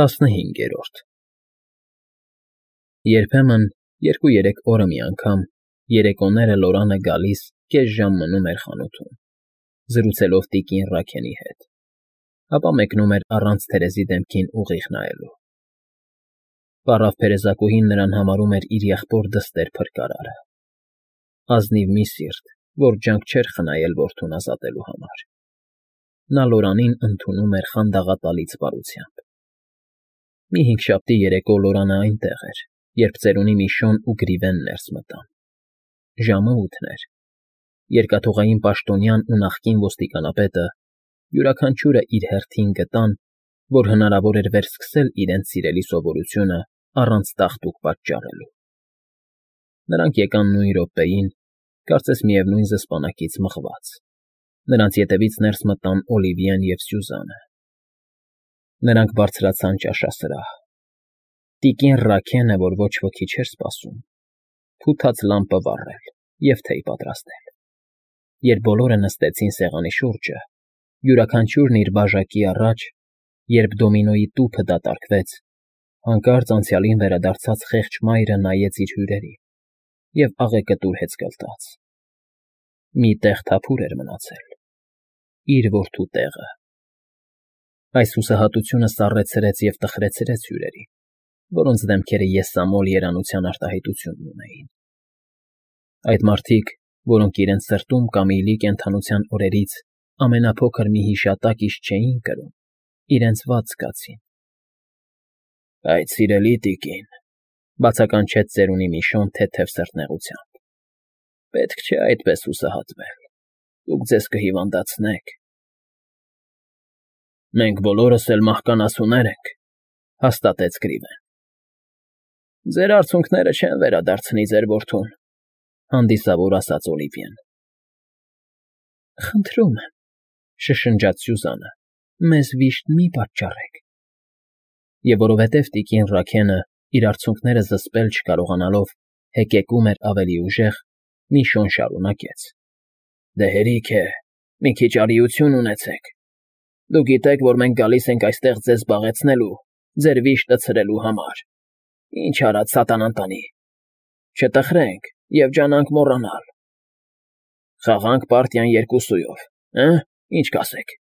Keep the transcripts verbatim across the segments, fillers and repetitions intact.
ՏԱՍՆՀԻՆԳԵՐՈՐԴ Երբեմն երկու֊երեք օրը մի անգամ երեկոները Լորանը գալիս կես ժամ մնում էր խանութում, զրուցելով տիկին Ռաքենի հետ, ապա մեկնում էր առանց Թերեզի դեմքին ուղիղ նայելու։ Պառավ փերեզակուհին նրան համարում էր իր եղբոր դստեր փրկարարը, ազնիվ մի սիրտ, որ ջանք չէր խնայել որդուն ազատելու համար։ Նա Լորանին ընդունում էր խանդաղատալից բարությամբ։ Մի հինգշաբթի երեկո Լորանը այնտեղ էր, երբ ծերունի Միշոն ու Գրիվեն ներս մտան։ Ժամը ութն էր։ Երկաթուղային պաշտոնյան ու նախկին ոստիկանապետը յուրաքանչյուրը իր հերթին գտան, որ հնարավոր էր վերսկսել իրենց սիրելի սովորությունը առանց տաղտուկ պատճառելու։ Նրանք եկան նույն րոպեին, կարծես միևնույն զսպանակից մղված։ Նրանց ետևից ներս մտան Օլիվիեն և Սյուզանը։ Նրանք բարձրացան ճաշասրահ։ Տիկին Ռաքենը, որ ոչ ոքի չէր սպասում, փութած լամպը վառել և թեյ պատրաստել։ Երբ բոլորը նստեցին սեղանի շուրջը, յուրաքանչյուրն իր բաժակի առաջ, երբ դոմինոյի տուփը դատարկվեց, հանկարծ անցյալին վերադարձած խեղճ մայրը նայեց իր հյուրերին և աղեկտուր հեծկլտաց։ Մի տեղ թափուր էր մնացել՝ իր որդու տեղը։ Այս հուսահատությունը սառեցրեց և տխրեցրեց հյուրերին, որոնց դեմքերը եսամոլ երանության արտահայտություն ունեին։ Այդ մարդիկ, որոնք իրենց սրտում Կամիլի կենդանության օրերից ամենափոքր մի հիշատակից չէին կրում, իրենց վատ զգացին։ ֊ Այդ սիրելի տիկին,֊ բացականչեց ծերունի Միշոն թեթև սրտնեղությամբ,֊ պետք չէ այդպես հուսահատվել, դուք ձեզ կհիվանդացնեք։ ֊ Մենք բոլորս էլ մահկանացուներ ենք,֊ հաստատեց Գրիվեն։ ֊ Ձեր արցունքները չեն վերադարձնի ձեր որդուն,֊ հանդիսավոր ասաց Օլիվիեն։ ֊ Խնդրում եմ,֊ շշնջաց Սյուզանը,֊ մեզ վիշտ մի պատճառեք։ Եվ որովհետև տիկին Ռաքենը, իր արցունքները զսպել չկարողանալով, հեկեկում էր ավելի ուժեղ, Միշոն շարունակեց. ֊ Դե հերիք է, մի քիչ արիություն ունեցեք։ Դուք գիտեք, որ մենք գալիս ենք այստեղ ձեզ զբաղեցնելու, ձեր վիշտը ցրելու համար։ Ինչ արած սատանան տանի։ Չտխրենք և ջանանք մոռանալ։ Խաղա՞նք պարտիան երկուսույով, հը՞, ինչ կասեք։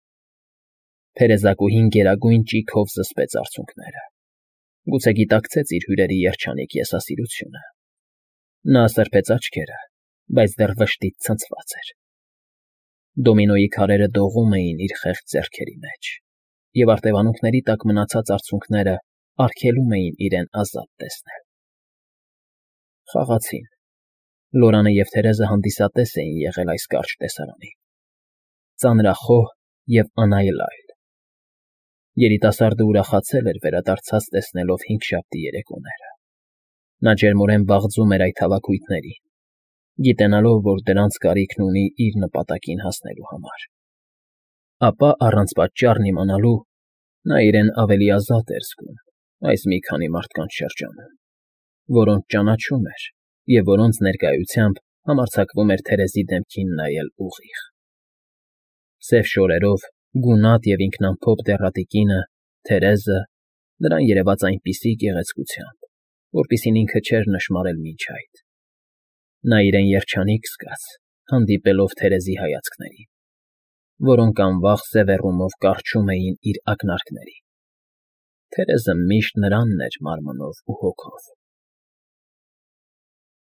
Փերեզակուհին գերագույն ճիգով զսպեց արցունքները։ Գուցե գիտակցեց իր հյուրերի երջանիկ եսասիրությունը։ Նա սրբեց աչքերը, բայց դեռ վշտից ցնցված էր։ Դոմինոյի քարերը դողում էին իր խեղճ ձեռքերի մեջ, և արտևանքների տակ մնացած արցունքները արգելում էին իրեն ազատ տեսնել։ Խաղացին։ Լորանը և Թերեզը հանդիսատես էին եղել այս կարճ տեսարանի, ծանրախոհ և անայլայլ։ Երիտասարդը ուրախացել էր վերադարձած տեսնելով հինգշաբթի երեկոները։ Նա ջերմորեն վաղձում էր այդ հավաքույթներին, գիտենալով, որ դրանց կարիքն ունի իր նպատակին հասնելու համար։ Ապա առանց պատճառն իմանալու, նա իրեն ավելի ազատ էր զգում այս մի քանի մարդկանց շրջանում, որոնց ճանաչում էր և որոնց ներկայությամբ համարձակվում էր Թերեզի դեմքին նայել ուղիղ։ Սև շորերով, գունատ և ինքնամփոփ դեռատիկինը՝ Թերեզը, նրան երևաց այնպիսի գեղեցկությամբ, որպիսին ինքը չէր նշմարել մինչ այդ։ Նա իրեն երջանիկ զգաց, հանդիպելով Թերեզի հայացքներին, որոնք անվախ սևեռումով կառչում էին իր ակնարկներին։ Թերեզը միշտ նրանն էր մարմնով ու հոգով։